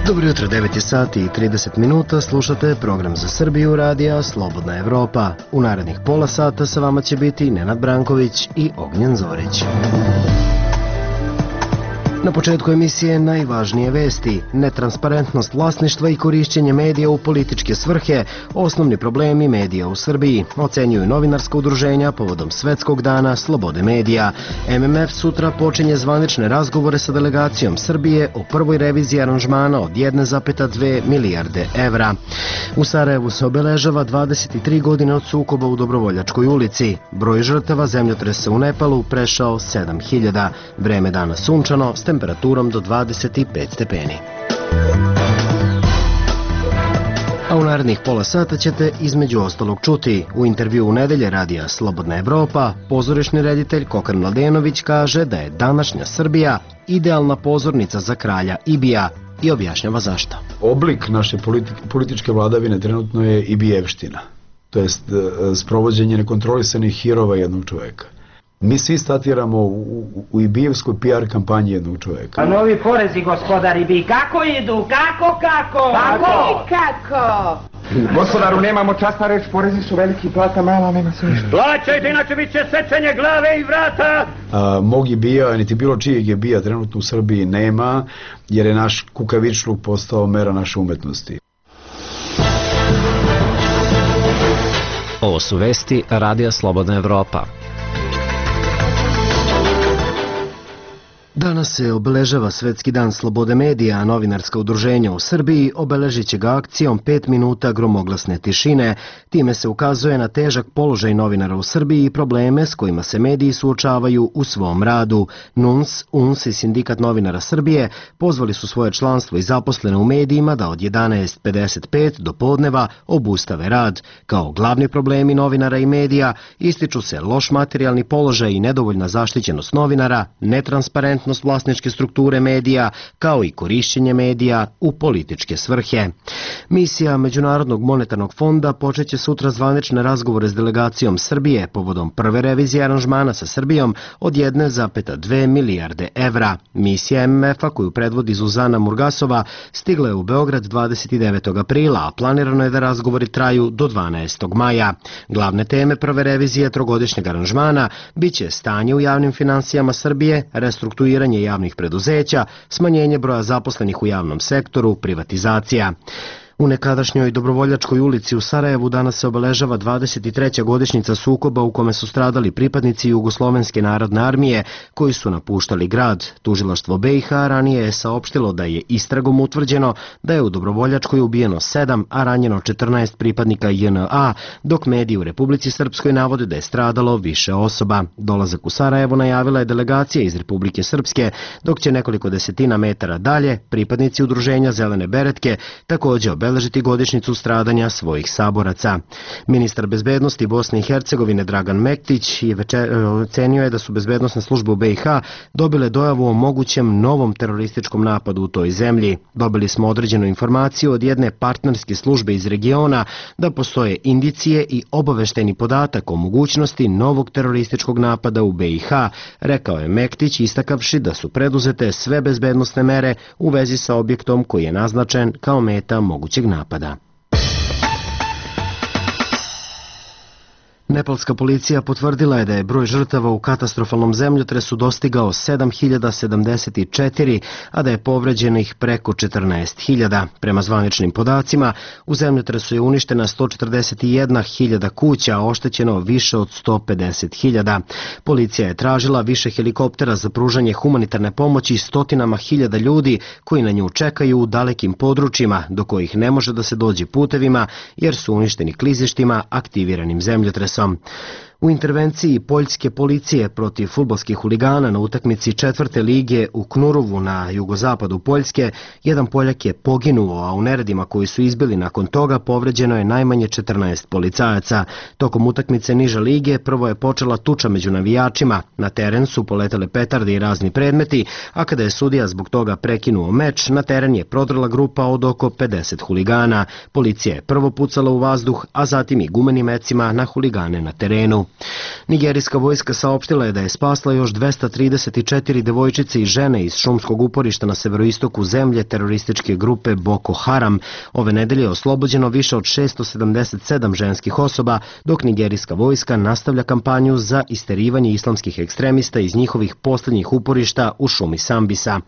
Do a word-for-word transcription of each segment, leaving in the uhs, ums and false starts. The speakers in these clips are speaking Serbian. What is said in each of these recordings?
Dobro jutro, devet je sati i trideset minuta, slušate program za Srbiju radija Slobodna Evropa. U narednih pola sata sa vama će biti Nenad Branković i Ognjen Zorić. Na početku emisije najvažnije vesti, netransparentnost vlasništva i korišćenje medija u političke svrhe, osnovni problemi medija u Srbiji, ocenjuju novinarska udruženja povodom Svetskog dana slobode medija. M M F sutra počinje zvanične razgovore sa delegacijom Srbije o prvoj reviziji aranžmana od jedne zarez dve milijarde evra. U Sarajevu se obeležava dvadeset tri godine od sukoba u Dobrovoljačkoj ulici. Broj žrtava zemljotresa u Nepalu prešao sedam hiljada. Vreme dana sunčano, s temperaturom do dvadeset pet stepeni. A u narednih pola sata ćete između ostalog čuti. U intervju u nedelje radija Slobodna Evropa, pozorišni reditelj Kokar Mladenović kaže da je današnja Srbija idealna pozornica za kralja Ibija i objašnjava zašto. Oblik naše političke vladavine trenutno je Ibijevština, to jest sprovođenje nekontrolisanih hirova jednog čoveka. Mi svi statiramo u, u, u Ibijevskoj P R kampanji jednog čoveka. A novi porezi, gospodar Ibij, kako idu? Kako, kako? Kako? Kako? Gospodaru, nemamo časna reč, porezi su veliki, plata mala, nema se ništa. Plaćajte, inače bit će sečenje glave i vrata! A, mog Ibija, niti bilo čijeg Ibija trenutno u Srbiji nema, jer je naš kukavičluk postao mera naše umetnosti. Ovo su vesti radija Slobodna Evropa. Danas se obeležava Svetski dan slobode medija, a novinarska udruženja u Srbiji obeležit će ga akcijom pet minuta gromoglasne tišine. Time se ukazuje na težak položaj novinara u Srbiji i probleme s kojima se mediji suočavaju u svom radu. N U N S, U N S i Sindikat novinara Srbije pozvali su svoje članstvo i zaposlene u medijima da od jedanaest pedeset pet do podneva obustave rad. Kao glavni problemi novinara i medija ističu se loš materijalni položaj i nedovoljna zaštićenost novinara, netransparentnost vlasničke strukture medija, kao i korišćenje medija u političke svrhe. Misija Međunarodnog monetarnog fonda počeće sutra zvanične razgovore s delegacijom Srbije povodom prve revizije aranžmana sa Srbijom od jedne zarez dve milijarde evra. Misija M M F-a koju predvodi Zuzana Murgasova stigla je u Beograd dvadeset devetog aprila, a planirano je da razgovori traju do dvanaestog maja. Glavne teme prve revizije trogodišnjeg aranžmana biće stanje u javnim finansijama Srbije, restrukturiranje javnih preduzeća, smanjenje broja zaposlenih u javnom sektoru, privatizacija. U nekadašnjoj Dobrovoljačkoj ulici u Sarajevu danas se obeležava dvadeset treća godišnjica sukoba u kome su stradali pripadnici Jugoslovenske narodne armije koji su napuštali grad. Tužilaštvo B i H ranije je saopštilo da je istragom utvrđeno da je u Dobrovoljačkoj ubijeno sedam, a ranjeno četrnaest pripadnika J N A, dok mediji u Republici Srpskoj navode da je stradalo više osoba. Dolazak u Sarajevo najavila je delegacija iz Republike Srpske, dok će nekoliko desetina metara dalje pripadnici udruženja Zelene beretke također obeležiti obeležiti godišnjicu stradanja svojih saboraca. Ministar bezbednosti Bosne i Hercegovine Dragan Mektić ocenio je da su bezbednosne službe u B i H dobile dojavu o mogućem novom terorističkom napadu u toj zemlji. Dobili smo određenu informaciju od jedne partnerske službe iz regiona da postoje indicije i obaveštajni podatak o mogućnosti novog terorističkog napada u B i H, rekao je Mektić, istakavši da su preduzete sve bezbednosne mere u vezi sa objektom koji je naznačen kao meta mogućeg napada. Nepalska policija potvrdila je da je broj žrtava u katastrofalnom zemljotresu dostigao sedam hiljada sedamdeset četiri, a da je povređenih preko četrnaest hiljada. Prema zvaničnim podacima, u zemljotresu je uništena sto četrdeset jedna hiljada kuća, a oštećeno više od sto pedeset hiljada. Policija je tražila više helikoptera za pružanje humanitarne pomoći stotinama hiljada ljudi koji na nju čekaju u dalekim područjima do kojih ne može da se dođe putevima jer su uništeni klizištima aktiviranim zemljotresom. U intervenciji poljske policije protiv fudbalskih huligana na utakmici četvrte lige u Knurovu na jugozapadu Poljske, jedan Poljak je poginuo, a u neredima koji su izbili nakon toga povređeno je najmanje četrnaest policajaca. Tokom utakmice niže lige prvo je počela tuča među navijačima, na teren su poletele petarde i razni predmeti, a kada je sudija zbog toga prekinuo meč, na teren je prodrla grupa od oko pedeset huligana. Policija je prvo pucala u vazduh, a zatim i gumenim mecima na huligane na terenu. Nigerijska vojska saopštila je da je spasla još dvesta trideset četiri devojčice i žene iz šumskog uporišta na severoistoku zemlje terorističke grupe Boko Haram. Ove nedelje je oslobođeno više od šessto sedamdeset sedam ženskih osoba, dok nigerijska vojska nastavlja kampanju za isterivanje islamskih ekstremista iz njihovih posljednjih uporišta u šumi Sambisa.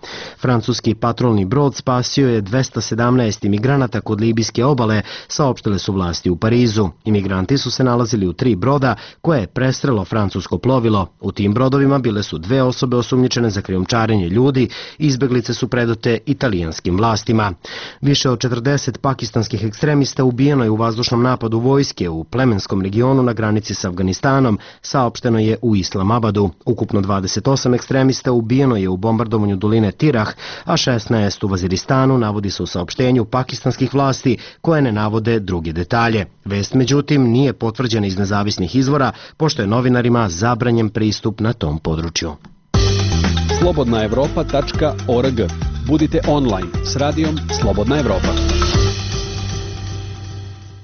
Francuski patrolni brod spasio je dvesta sedamnaest imigranata kod libijske obale, saopštile su vlasti u Parizu. Imigranti su se nalazili u tri broda koje je prestrelo francusko plovilo. U tim brodovima bile su dve osobe osumnjičene za krijumčarenje ljudi, izbeglice su predate italijanskim vlastima. Više od četrdeset pakistanskih ekstremista ubijeno je u vazdušnom napadu vojske u plemenskom regionu na granici s Afganistanom, saopšteno je u Islamabadu. Ukupno dvadeset osam ekstremista ubijeno je u bombardovanju doline Tirah, a šesnaest u Vaziristanu, navodi se u saopštenju pakistanskih vlasti koje ne navode druge detalje. Vest, međutim, nije potvrđena iz nezavisnih izvora, pošto je novinarima zabranjen pristup na tom području. slobodna evropa tačka org. Budite online s radijom Slobodna Evropa.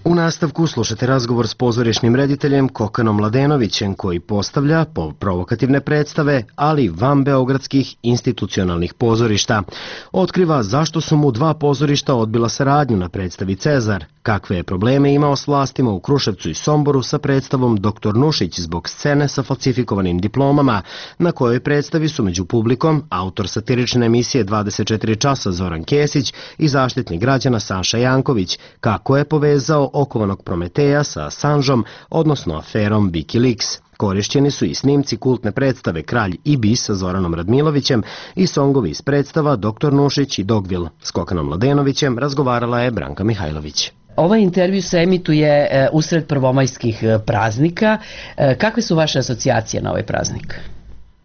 U nastavku slušate razgovor s pozorišnim rediteljem Kokanom Mladenovićem, koji postavlja po provokativne predstave, ali van beogradskih institucionalnih pozorišta. Otkriva zašto su mu dva pozorišta odbila saradnju na predstavi Cezar, kakve je probleme imao s vlastima u Kruševcu i Somboru sa predstavom Doktor Nušić zbog scene sa falsifikovanim diplomama, na kojoj predstavi su među publikom autor satirične emisije dvadeset četiri časa Zoran Kesić i zaštitnik građana Saša Janković, kako je povezao okovanog Prometeja sa Assangeom, odnosno aferom Wikileaks. Korišćeni su i snimci kultne predstave Kralj i bis sa Zoranom Radmilovićem i songovi iz predstava Doktor Nušić i Dogvil. S Kokanom Mladenovićem razgovarala je Branka Mihajlović. Ovaj intervju se emituje e, usred prvomajskih praznika. E, kakve su vaše asocijacije na ovaj praznik?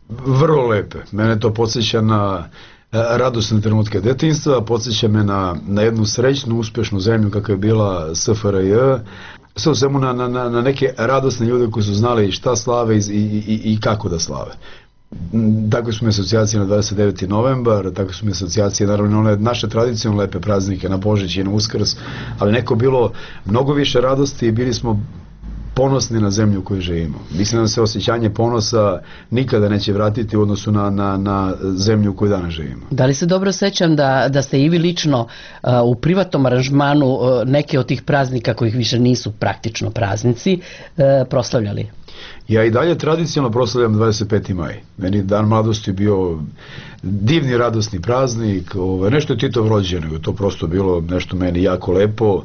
Vrlo lepe. Mene to podsjeća na radosne trenutke detinjstva, podsjeća me na, na jednu srećnu, uspješnu zemlju kakva je bila S F R J, sve u svemu na, na, na neke radosne ljude koji su znali šta slave i, i, i kako da slave. Tako su mi asocijacije na dvadeset deveti novembar, tako su mi asocijacije naravno one naše tradicionalne lepe praznike na Božić i na Uskrs, ali neko bilo mnogo više radosti i bili smo ponosni na zemlju u kojoj živimo. Mislim da se osjećanje ponosa nikada neće vratiti u odnosu na, na, na zemlju u kojoj danas živimo. Da li se dobro sećam da, da ste i vi lično uh, u privatnom aranžmanu uh, neke od tih praznika, kojih više nisu praktično praznici, uh, proslavljali? Ja i dalje tradicionalno proslavljam dvadeset peti maj. Meni dan mladosti bio divni, radosni praznik, ovaj, nešto je Titov rođendan, nego to prosto bilo nešto meni jako lepo.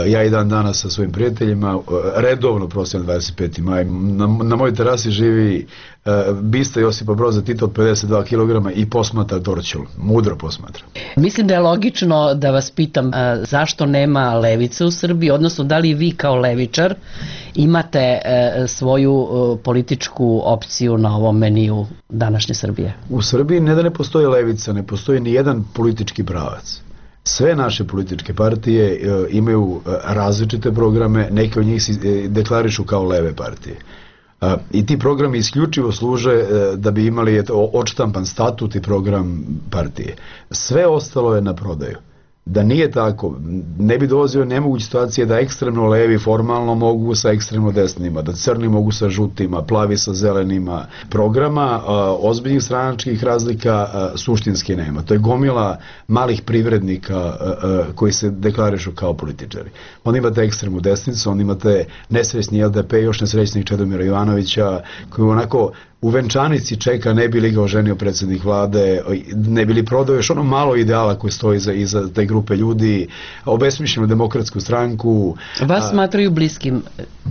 Ja i dan danas sa svojim prijateljima redovno proslavljam dvadeset peti maj. Na, na mojoj terasi živi uh, bista Josipa Broza Tita od pedeset dva kilograma i posmatra Dorćol. Mudro posmatra. Mislim da je logično da vas pitam uh, zašto nema levice u Srbiji, odnosno da li vi kao levičar imate uh, svoju uh, političku opciju na ovom meniju današnje Srbije? U Srbiji ne da ne postoji levica, ne postoji ni jedan politički pravac. Sve naše političke partije e, imaju e, različite programe, neke od njih se e, deklarišu kao leve partije. E, I ti programi isključivo služe e, da bi imali eto, odštampan statut i program partije. Sve ostalo je na prodaju. Da nije tako, ne bi dolazio nemoguće situacije da ekstremno levi formalno mogu sa ekstremno desnima, da crni mogu sa žutima, plavi sa zelenima. Programa a, ozbiljnih stranačkih razlika a, suštinski nema. To je gomila malih privrednika a, a, koji se deklarišu kao političari. Onda imate ekstremnu desnicu, onda imate nesrećni L D P, još nesrećnih Čedomira Jovanovića, koji onako u venčanici čeka ne bi li ga oženio predsjednik vlade, ne bi li prodao još ono malo ideala koje stoji iza, iza te grupe ljudi, obesmišljenu demokratsku stranku. Vas a, smatraju bliskim,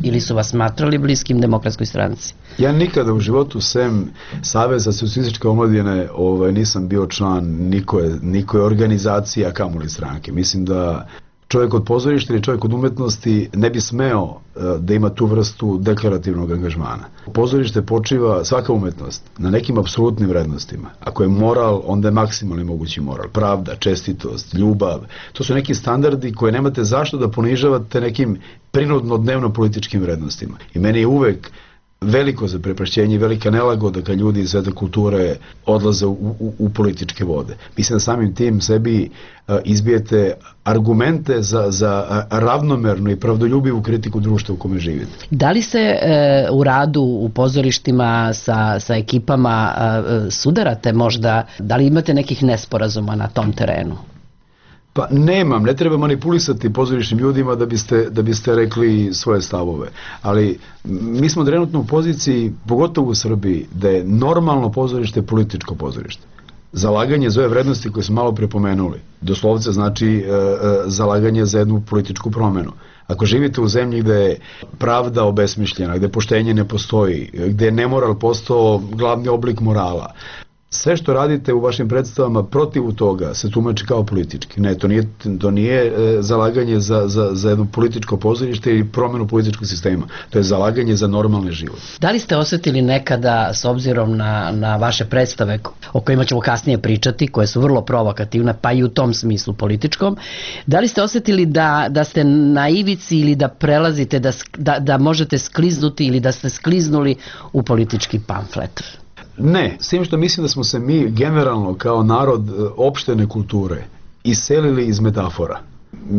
ili su vas smatrali bliskim demokratskoj stranci? Ja nikada u životu sem Saveza socijalističke omladine ovaj, nisam bio član nikoje, nikoje organizacije, a kamoli stranke. Mislim da čovjek od pozorišta ili čovjek od umetnosti ne bi smeo uh, da ima tu vrstu deklarativnog angažmana. Pozorište počiva, svaka umetnost, na nekim apsolutnim vrednostima. Ako je moral, onda je maksimalni mogući moral. Pravda, čestitost, ljubav. To su neki standardi koje nemate zašto da ponižavate nekim prinudno dnevno političkim vrednostima. I meni je uvek veliko zaprepašćenje i velika nelagoda kad ljudi iz sveta kulture odlaze u, u, u političke vode. Mislim da samim tim sebi a, izbijete argumente za, za ravnomernu i pravdoljubivu kritiku društva u kome živite. Da li se e, u radu u pozorištima sa, sa ekipama e, sudarate možda, da li imate nekih nesporazuma na tom terenu? Pa nemam, ne treba manipulisati pozorišnim ljudima da biste, da biste rekli svoje stavove, ali mi smo trenutno u poziciji, pogotovo u Srbiji, da je normalno pozorište političko pozorište. Zalaganje za ove vrednosti koje smo malo prepomenuli, doslovce znači e, e, zalaganje za jednu političku promenu. Ako živite u zemlji gde je pravda obesmišljena, gde poštenje ne postoji, gde je nemoral postao glavni oblik morala, sve što radite u vašim predstavama protiv toga se tumači kao politički. Ne, to nije, to nije e, zalaganje za, za, za jedno političko pozorište i promenu političkog sistema. To je zalaganje za normalni život. Da li ste osjetili nekada, s obzirom na, na vaše predstave o kojima ćemo kasnije pričati, koje su vrlo provokativne, pa i u tom smislu političkom, da li ste osjetili da, da ste na ivici ili da prelazite, da, da, da možete skliznuti ili da ste skliznuli u politički pamflet? Ne, s tim što mislim da smo se mi generalno kao narod opštene kulture iselili iz metafora.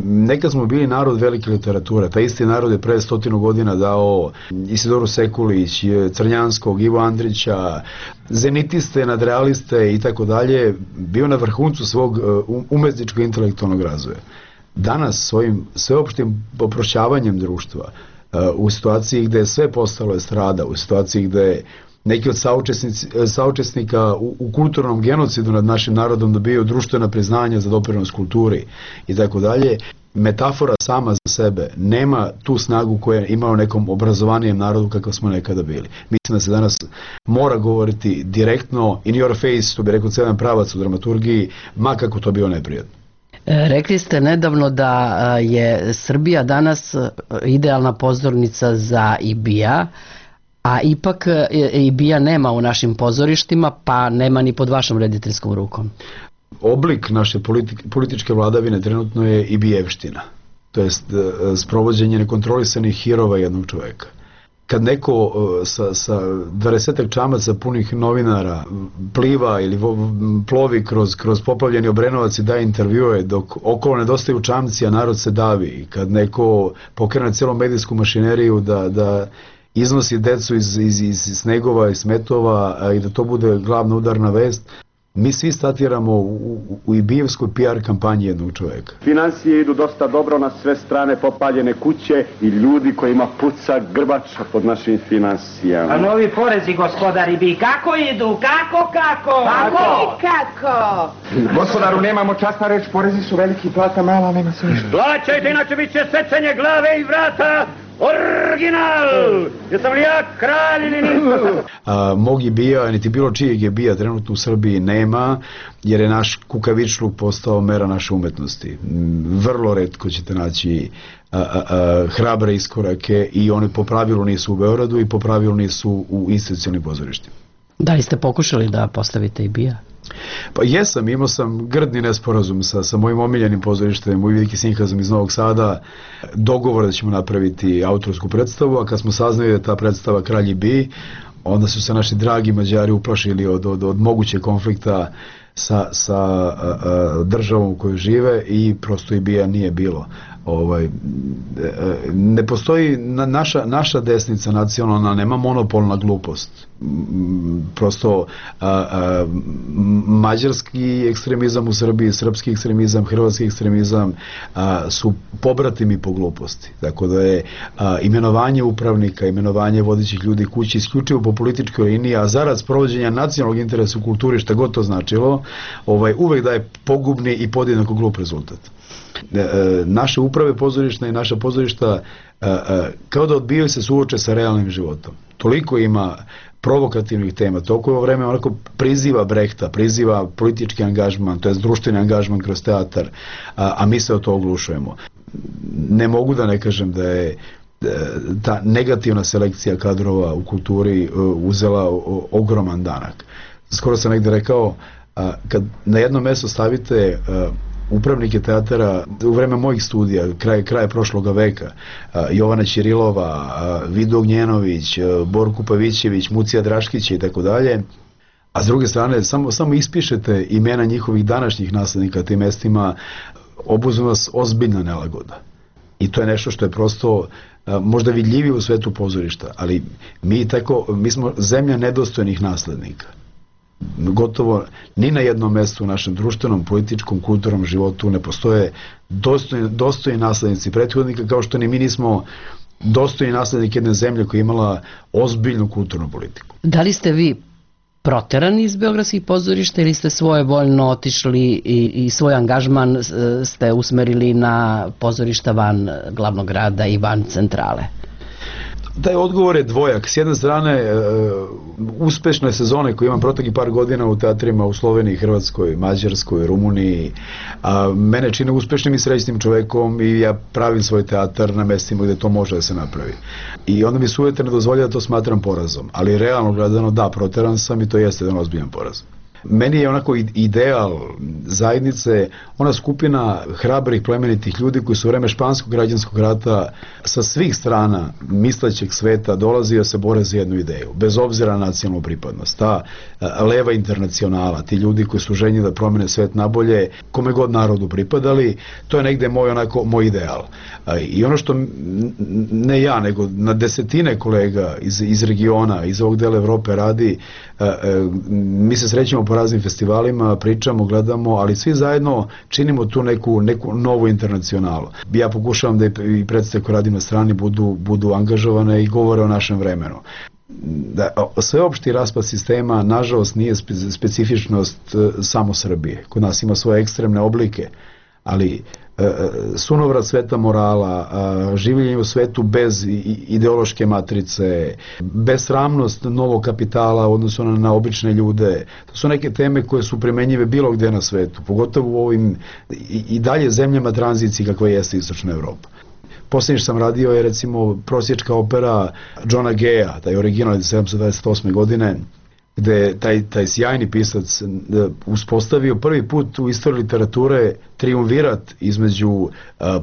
Nekad smo bili narod velike literature, taj isti narod je pre stotinu godina dao Isidoru Sekulić, Crnjanskog, Ivo Andrića, zenitiste, nadrealiste i tako dalje, bio na vrhuncu svog umetničkog intelektualnog razvoja. Danas svojim sveopštim oprošćavanjem društva, u situaciji gde je sve postalo estrada, u situaciji gde je neki od saučesnika u, u kulturnom genocidu nad našim narodom dobijaju društvena priznanja za doprinos kulturi i tako dalje, metafora sama za sebe nema tu snagu koja je imao nekom obrazovanijem narodu kakav smo nekada bili. Mislim da se danas mora govoriti direktno, in your face, to bi rekao celan pravac u dramaturgiji, ma kako to bio neprijatno. Rekli ste nedavno da je Srbija danas idealna pozornica za I B I A, a ipak I B I A nema u našim pozorištima, pa nema ni pod vašom rediteljskom rukom. Oblik naše političke vladavine trenutno je I B I-evština, to jest sprovođenje nekontrolisanih hirova jednog čoveka. Kad neko sa, sa dvadesetak čamaca punih novinara pliva ili plovi kroz, kroz poplavljeni Obrenovac i daje intervjue dok okolo nedostaju čamci, a narod se davi, kad neko pokrene celu medijsku mašineriju da, da iznosi decu iz, iz, iz snegova i smetova a i da to bude glavna udarna vest, mi svi statiramo u, u, u I B I-evskoj P R kampanji jednog čoveka. Finansije idu dosta dobro, na sve strane popaljene kuće i ljudi kojima puca grbača pod našim finansijama. A novi porezi, gospodari, bi kako idu? Kako, kako? Kako? Kako? Gospodaru, nemamo časna reč, porezi su veliki, plata mala, nema se ništa. Plaćajte, inače bit će sečenje glave i vrata. Original! Jesam li ja kralj ili nisam? Mog I B I-a, niti bilo čijeg I B I-a trenutno u Srbiji nema, jer je naš kukavičluk postao mera naše umetnosti. Vrlo retko ćete naći a, a, a, hrabre iskorake i oni po pravilu nisu u Beogradu i po pravilu nisu u institucionalnim pozorištima. Da li ste pokušali da postavite I B I-a? Pa jesam, imao sam grdni nesporazum sa, sa mojim omiljenim pozorištem u Veliki Sinhazam iz Novog Sada, dogovor da ćemo napraviti autorsku predstavu, a kad smo saznali da je ta predstava Kralj I B I, onda su se naši dragi Mađari uplašili od, od, od moguće konflikta sa, sa a, a, državom u kojoj žive i prosto I B I-a nije bilo. Ovaj, ne postoji naša, naša desnica nacionalna, nema monopol na glupost. Prosto a, a, mađarski ekstremizam u Srbiji, srpski ekstremizam, hrvatski ekstremizam a, su pobratimi po gluposti. Tako da je a, imenovanje upravnika, imenovanje vodećih ljudi kući isključivo po političkoj liniji, a zarad sprovođenja nacionalnog interesa u kulturi, šta god to značilo, ovaj, uvek daje pogubni i podjednako glup rezultat. Naše uprave pozorišta i naša pozorišta kao da odbijaju se suoče sa realnim životom. Toliko ima provokativnih tema, toliko je vreme onako priziva Brehta, priziva politički angažman, to je društveni angažman kroz teatar, a, a mi se od to oglušujemo. Ne mogu da ne kažem da je ta negativna selekcija kadrova u kulturi uzela ogroman danak. Skoro sam negde rekao, kad na jedno mesto stavite upravnike teatara u vreme mojih studija, kraj, kraja prošloga veka, Jovana Ćirilova, Vido Ognjenović, Borko Pavićević, Mucija Draškić i tako dalje. A s druge strane, samo, samo ispišete imena njihovih današnjih naslednika tim mestima, obuzme vas ozbiljna nelagoda. I to je nešto što je prosto možda vidljivije u svetu pozorišta, ali mi, tako, mi smo zemlja nedostojnih naslednika. Gotovo ni na jednom mestu u našem društvenom, političkom, kulturnom životu ne postoje dostojni, dostojni naslednici prethodnika, kao što ni mi nismo dostojni naslednik jedne zemlje koja je imala ozbiljnu kulturnu politiku. Da li ste vi proterani iz beogradskih pozorišta ili ste svojevoljno otišli i, i svoj angažman ste usmerili na pozorišta van glavnog grada i van centrale? Taj odgovor je dvojak. S jedne strane, uspešne sezone koje imam proteklih par godina u teatrima u Sloveniji, Hrvatskoj, Mađarskoj, Rumuniji, a, mene čine uspešnim i srećnim čovekom i ja pravim svoj teatar na mestima gde to može da se napravi. I onda mi se uvijek ne dozvolja da to smatram porazom. Ali realno gledano, da, proteran sam i to jeste jedan ozbiljan poraz. Meni je onako ideal zajednice ona skupina hrabrih plemenitih ljudi koji su u vreme španskog građanskog rata sa svih strana mislećeg sveta dolazi da se bore za jednu ideju, bez obzira na nacionalnu pripadnost. Ta leva internacionala, ti ljudi koji su željni da promene svet nabolje, kome god narodu pripadali, to je negde moj, onako, moj ideal. I ono što ne ja, nego na desetine kolega iz, iz regiona, iz ovog dela Evrope radi, mi se srećemo po raznim festivalima, pričamo, gledamo, ali svi zajedno činimo tu neku, neku novu internacionalu. Ja pokušavam da i predstave koje radim na strani budu, budu angažovane i govore o našem vremenu. Da, sveopšti raspad sistema, nažalost, nije specifičnost samo Srbije. Kod nas ima svoje ekstremne oblike, ali sunovrat sveta morala, življenje u svetu bez ideološke matrice, besramnost novog kapitala u odnosu na, na obične ljude, to su neke teme koje su primenjive bilo gde na svetu, pogotovo u ovim i, i dalje zemljama tranzicije kakva jeste Istočna Evropa. Posljednje što sam radio je recimo prosječka opera Johna Geja, taj original iz sedamsto dvadeset osme godine, gde taj, taj sjajni pisac uspostavio prvi put u istoriji literature triumvirat između uh,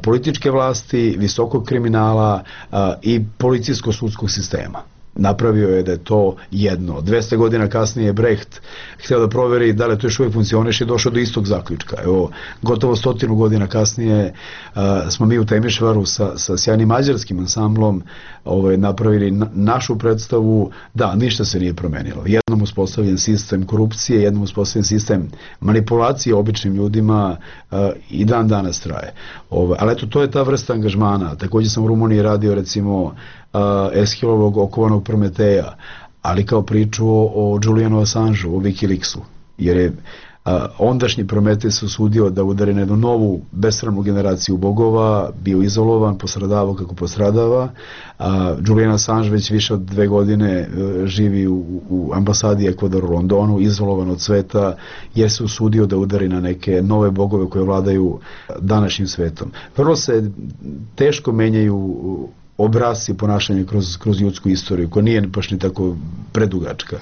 političke vlasti, visokog kriminala uh, i policijsko-sudskog sistema. Napravio je da je to jedno. dvesta godina kasnije je Brecht htio da proveri da li to još uvijek funkcioniše i došao do istog zaključka. Evo, gotovo stotinu godina kasnije uh, smo mi u Temišvaru sa, sa sjajnim mađarskim ansamblom ovaj, napravili na, našu predstavu. Da, ništa se nije promenilo. Jednom uspostavljen sistem korupcije, jednom uspostavljen sistem manipulacije običnim ljudima uh, i dan danas traje. Ovaj, ali eto, to je ta vrsta angažmana. Također sam u Rumuniji radio recimo Eshilovog okovanog Prometeja, ali kao priču o, o Julianu Assangeu, o Wikileaksu, jer je a, ondašnji Prometej se usudio da udari na jednu novu besramnu generaciju bogova, bio izolovan, postradavao kako postradava. A, Julian Assange već više od dve godine a, živi u, u ambasadi Ekvadora u Londonu, izolovan od sveta, jer se usudio da udari na neke nove bogove koje vladaju današnjim svetom. Prvo se teško menjaju obrasci ponašanja kroz, kroz ljudsku istoriju, koja nije baš ni tako predugačka.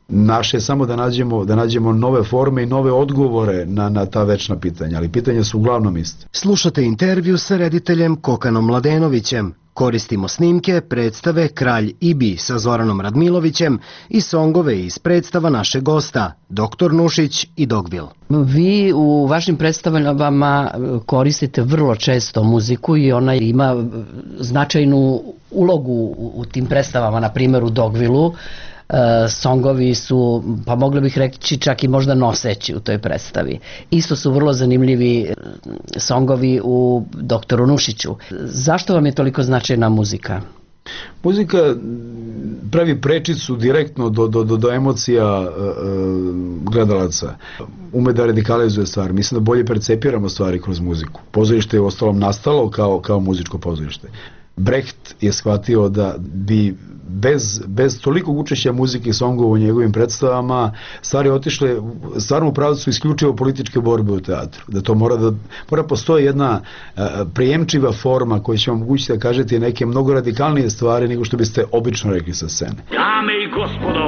Naše je samo da nađemo, da nađemo nove forme i nove odgovore na, na ta večna pitanja, ali pitanja su uglavnom iste. Slušate intervju sa rediteljem Kokanom Mladenovićem. Koristimo snimke predstave Kralj Ibi sa Zoranom Radmilovićem i songove iz predstava našeg gosta, doktor Nušić i Dogvil. Vi u vašim predstavama koristite vrlo često muziku i ona ima značajnu ulogu u tim predstavama, na primjer u Dogvilu. Songovi su, pa mogli bih reći, čak i možda noseći u toj predstavi. Isto su vrlo zanimljivi songovi u doktoru Nušiću. Zašto vam je toliko značajna muzika? Muzika pravi prečicu direktno do, do, do, do emocija uh, gledalaca. Ume da radikalizuje stvari. Mislim da bolje percepiramo stvari kroz muziku. Pozorište je u ostalom nastalo kao, kao muzičko pozorište. Brecht je shvatio da bi bez, bez tolikog učešća muzike i songova u njegovim predstavama stvari otišle stvarno u pravcu isključivo političke borbe u teatru. Da to mora da mora postoji jedna uh, prijemčiva forma koja će vam omogućiti da kažete neke mnogo radikalnije stvari nego što biste obično rekli sa scene. Dame i gospodo,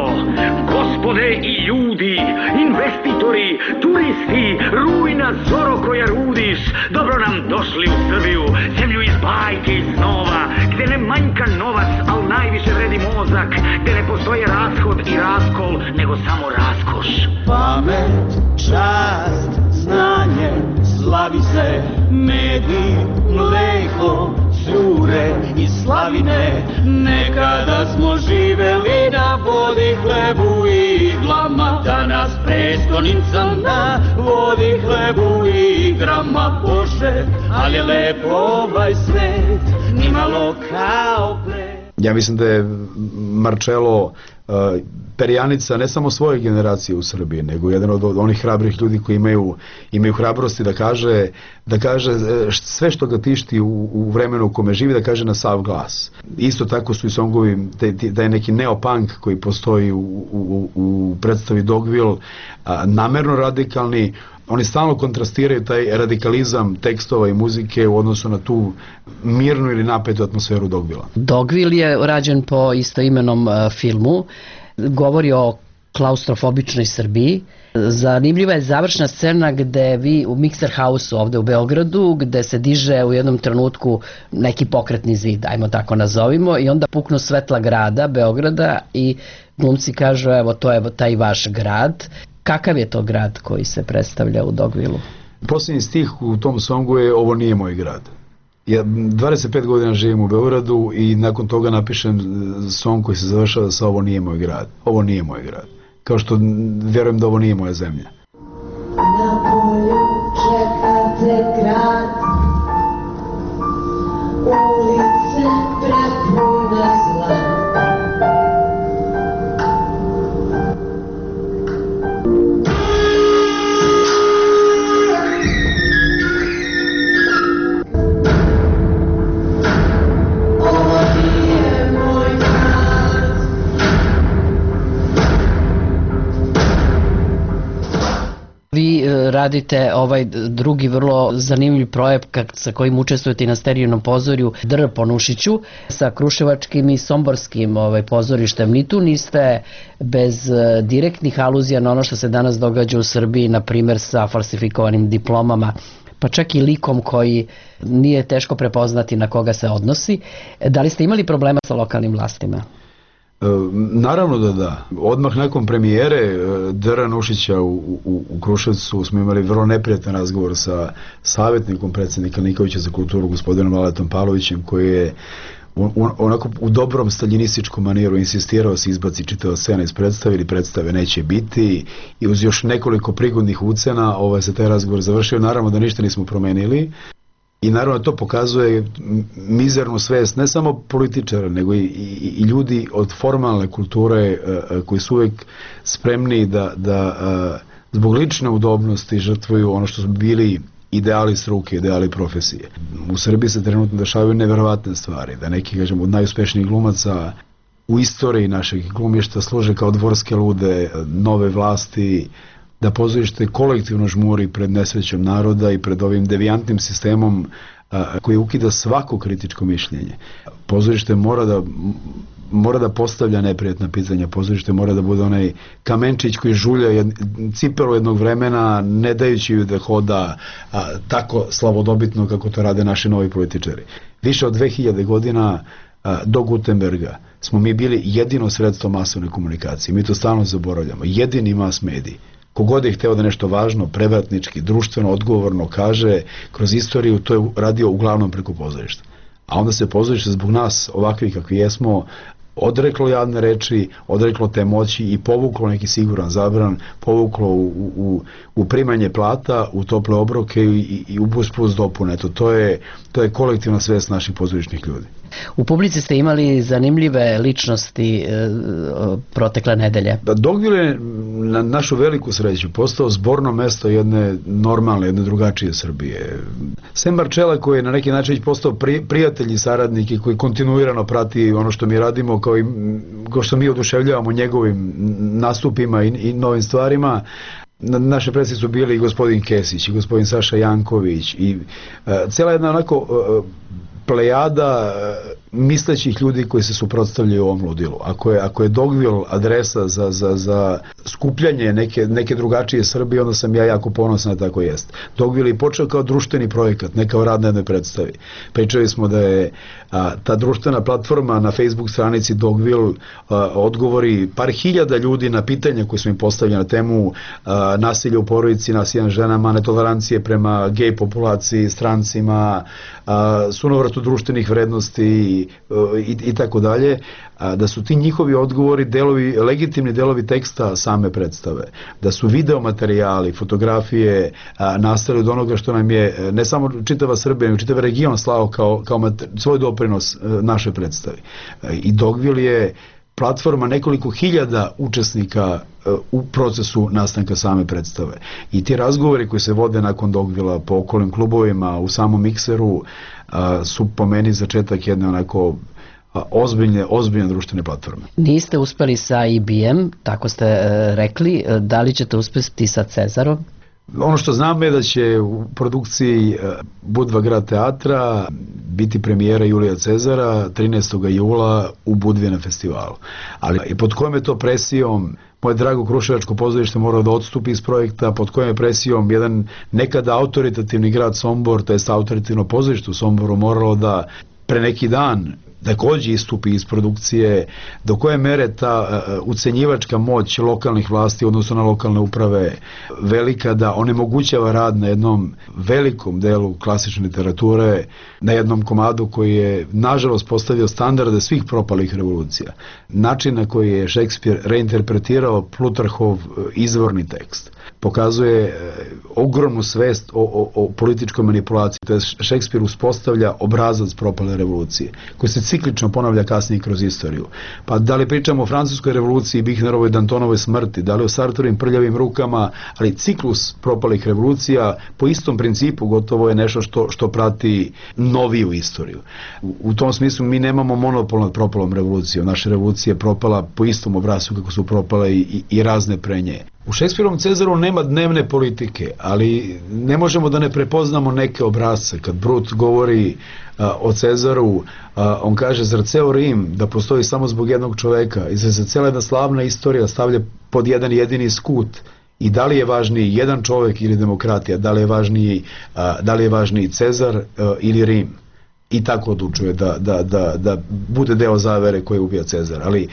gospode i ljudi, investitori, turisti, rujna zoro koja rudiš, dobro nam došli u Srbiju, zemlju iz bajke i snova, gde ne manjka novac, al najviše vredi mozak, gde ne postoje rashod i raskol, nego samo raskoš. Pamet, čast, znanje, slavi se, medi, mleko, cure i slavine. Nekada smo živeli na vodi, hlebu i iglama, danas prestonica na vodi, hlebu i igrama. Bože, ali je lepo ovaj svet, nimalo kao pre. Ja mislim da je Marcello uh, perjanica ne samo svoje generacije u Srbiji, nego jedan od onih hrabrih ljudi koji imaju, imaju hrabrosti da kaže, da kaže sve što ga tišti u, u vremenu u kome živi, da kaže na sav glas. Isto tako su i songovi, da je neki neopunk koji postoji u, u, u predstavi Dogville, a, namerno radikalni. Oni stalno kontrastiraju taj radikalizam tekstova i muzike u odnosu na tu mirnu ili napetu atmosferu Dogvilla. Dogville je rađen po istoimenom uh, filmu, govori o klaustrofobičnoj Srbiji. Zanimljiva je završna scena gde vi u Mixer House-u ovde u Beogradu, gde se diže u jednom trenutku neki pokretni zid, ajmo tako nazovimo, i onda puknu svetla grada, Beograda, i glumci kažu, evo to je taj vaš grad. Kakav je to grad koji se predstavlja u Dogvillu? Posljednji stih u tom songu je ovo nije moj grad. Ja dvadeset pet godina živim u Beogradu i nakon toga napišem song koji se završava sa ovo nije moj grad. Ovo nije moj grad. Kao što vjerujem da ovo nije moja zemlja. Na polju čekate grad, ulice prepune zla. Vi radite ovaj drugi vrlo zanimljiv projekt sa kojim učestvujete i na Sterijnom pozorju Dr. po Nušiću sa kruševačkim i somborskim ovaj, pozorištem. Ni tu niste bez direktnih aluzija na ono što se danas događa u Srbiji, na primjer sa falsifikovanim diplomama, pa čak i likom koji nije teško prepoznati na koga se odnosi. Da li ste imali problema sa lokalnim vlastima? Naravno da da. Odmah nakon premijere Dr. Nušića u, u, u Kruševcu smo imali vrlo neprijatan razgovor sa savjetnikom predsjednika Nikolića za kulturu, gospodinom Aletom Pavlovićem, koji je onako u dobrom staljinističkom manijeru insistirao se izbaci čitava scena iz predstave ili predstave neće biti, i uz još nekoliko prigodnih ucena ovaj se taj razgovor završio. Naravno da ništa nismo promenili. I naravno to pokazuje mizernu svest ne samo političara, nego i, i, i ljudi od formalne kulture uh, koji su uvijek spremni da, da uh, zbog lične udobnosti žrtvuju ono što su bili ideali struke, ideali profesije. U Srbiji se trenutno dešavaju neverovatne stvari, da neki, kažem, od najuspešnijih glumaca u istoriji našeg glumišta služe kao dvorske lude nove vlasti, da pozorište kolektivno žmuri pred nesrećom naroda i pred ovim devijantnim sistemom a, koji ukida svako kritičko mišljenje. Pozorište mora da mora da postavlja neprijatna pitanja, pozorište mora da bude onaj kamenčić koji žulja jed, cipelu jednog vremena, ne dajući ju da hoda a, tako slavodobitno kako to rade naši novi političari. Više od dve hiljade godina a, do Gutenberga smo mi bili jedino sredstvo masovne komunikacije. Mi to stalno zaboravljamo. Jedini mas medij. Kogod je hteo da nešto važno, prevratnički, društveno, odgovorno kaže kroz istoriju, to je radio uglavnom preko pozorišta. A onda se pozorište zbog nas, ovakvi kakvi jesmo, odreklo javne reči, odreklo te moći i povuklo neki siguran zabran, povuklo u, u, u primanje plata, u tople obroke i, i u bus plus dopune. Eto, to je, to je kolektivna svest naših pozorišnih ljudi. U publici ste imali zanimljive ličnosti e, protekle nedelje. Dogville je na našu veliku sreću postao zborno mesto jedne normalne, jedne drugačije Srbije. Sem Marcella koji je na neki način postao pri, prijatelj i saradnik i koji kontinuirano prati ono što mi radimo, kao i kao što mi oduševljavamo njegovim nastupima i, i novim stvarima. Na naše predstavnice su bili i gospodin Kesić i gospodin Saša Janković i uh, cijela jedna onako uh, plejada mislećih ljudi koji se suprotstavljaju ovom ludilu. Ako je, ako je Dogville adresa za, za, za skupljanje neke, neke drugačije Srbije, onda sam ja jako ponosan da tako jest. Dogville je počeo kao društveni projekat, ne kao rad na jednoj predstavi. Pričali smo da je a, ta društvena platforma na Facebook stranici Dogville a, odgovori par hiljada ljudi na pitanja koje smo im postavili na temu a, nasilja u porodici, nasilja nad ženama, netolerancije prema gej populaciji, strancima, a, sunovratu društvenih vrednosti a, i, i tako dalje, da su ti njihovi odgovori delovi, legitimni delovi teksta same predstave, da su video materijali, fotografije a, nastali od onoga što nam je ne samo čitava Srbija, nego čitava region slao kao, kao mater, svoj doprinos a, naše predstavi. A, I Dogville je platforma nekoliko hiljada učesnika a, u procesu nastanka same predstave. I ti razgovori koji se vode nakon Dogvilla po okolnim klubovima, u samom mikseru, a, su po meni začetak jedne onako ozbiljne, ozbiljne društvene platforme. Niste uspeli sa I B M, tako ste e, rekli, da li ćete uspeti sa Cezarom? Ono što znam je da će u produkciji Budva grad teatra biti premijera Julija Cezara trinaestog jula u Budvi na festivalu. Ali i pod kojom je to presijom moje drago Kruševačko pozorište morao da odstupi iz projekta, pod kojom je presijom jedan nekada autoritativni grad Sombor, to jest autoritativno pozorište u Somboru moralo da pre neki dan takođe istupi iz produkcije, do koje mere ta uh, ucenjivačka moć lokalnih vlasti, odnosno na lokalne uprave, velika da onemogućava rad na jednom velikom delu klasične literature, na jednom komadu koji je nažalost postavio standarde svih propalih revolucija. Način na koji je Šekspir reinterpretirao Plutarhov izvorni tekst pokazuje ogromnu svest o, o, o političkoj manipulaciji. To je Šekspir uspostavlja obrazac propale revolucije, koji se ciklično ponavlja kasnije kroz istoriju. Pa da li pričamo o francuskoj revoluciji, Bihnerovoj, Dantonovoj smrti, da li o Sartorovim prljavim rukama, ali ciklus propalih revolucija po istom principu gotovo je nešto što, što prati noviju istoriju. U, u tom smislu mi nemamo monopol nad propalom revolucijom. Naša revolucija je propala po istom obrascu kako su propale i, i, i razne pre nje. U Šekspirovom Cezaru nema dnevne politike, ali ne možemo da ne prepoznamo neke obrazce. Kad Brut govori a, o Cezaru, a, on kaže, zar ceo Rim da postoji samo zbog jednog čoveka i se cela jedna slavna istorija stavlja pod jedan jedini skut. I da li je važniji jedan čovek ili demokratija, da li je važniji, a, da li je važniji Cezar a, ili Rim. I tako odlučuje da, da, da, da bude deo zavere koje ubija Cezar. Ali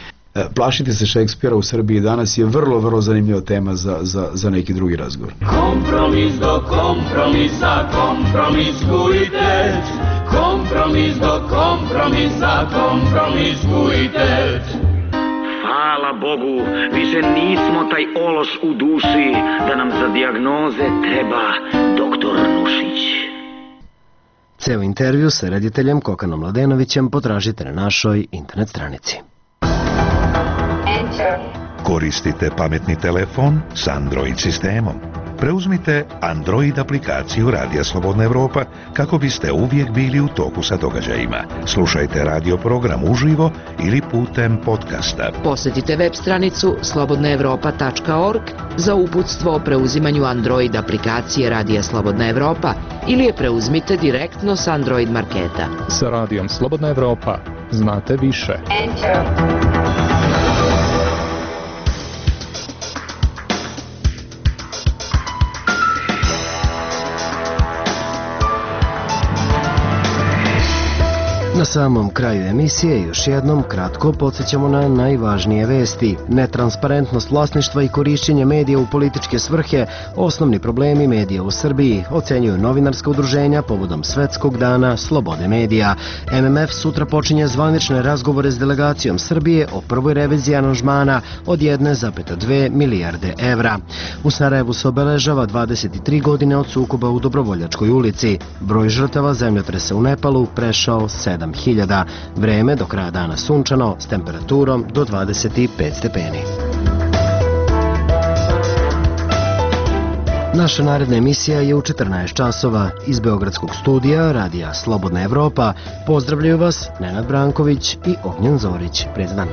plašiti se Šekspira u Srbiji danas je vrlo, vrlo zanimljiva tema za, za, za neki drugi razgovor. Kompromis do kompromisa, kompromiskujte. Kompromis do kompromisa, kompromiskujte. Hvala Bogu, više nismo taj ološ u duši, da nam za dijagnoze treba doktor Nušić. Ceo intervju sa rediteljem Kokanom Mladenovićem potražite na našoj internet stranici. Koristite pametni telefon s Android sistemom. Preuzmite Android aplikaciju Radija Slobodna Evropa kako biste uvijek bili u toku sa događajima. Slušajte radio program uživo ili putem podcasta. Posjetite web stranicu slobodna evropa tačka org za uputstvo o preuzimanju Android aplikacije Radija Slobodna Evropa ili je preuzmite direktno s Android marketa. Sa Radijom Slobodna Evropa znate više. Enter. Na samom kraju emisije još jednom kratko podsjećamo na najvažnije vesti. Netransparentnost vlasništva i korišćenje medija u političke svrhe, osnovni problemi medija u Srbiji, ocenjuju novinarska udruženja povodom Svetskog dana slobode medija. M M F sutra počinje zvanične razgovore s delegacijom Srbije o prvoj reviziji aranžmana od jedne zarez dve milijarde evra. U Sarajevu se obeležava dvadeset tri godine od sukoba u Dobrovoljačkoj ulici. Broj žrtava zemljotresa u Nepalu prešao sedam hiljada. Vreme do kraja dana sunčano s temperaturom do dvadeset pet stepeni. Naša naredna emisija je u četrnaest časova. Iz Beogradskog studija Radija Slobodna Evropa pozdravljaju vas Nenad Branković i Ognjen Zorić. Prijatan dan.